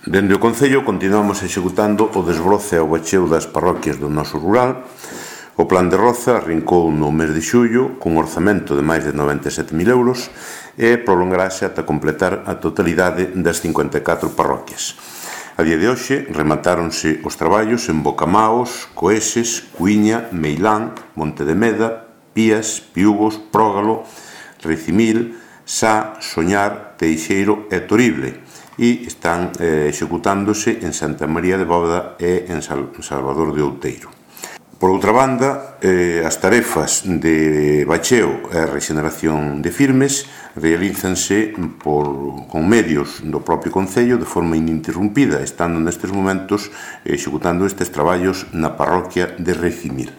Dende o Concello continuamos executando o desbroce ao bacheo das parroquias do noso rural. O Plan de Roza arrincou no mes de xullo cun orzamento de máis de 97.000 euros e prolongarase ata completar a totalidade das 54 parroquias. A día de hoxe rematáronse os traballos en Bocamaos, Coeses, Cuiña, Meilán, Monte de Meda, Pías, Piúgos, Prógalo, Ricimil, Sá, Soñar, Teixeiro e Torible, e están executándose en Santa María de Bóveda e en Salvador de Outeiro. Por outra banda, as tarefas de bacheo e rexeneración de firmes realízanse con medios do propio Concello de forma ininterrumpida, estando nestes momentos executando estes traballos na parroquia de Ricimil.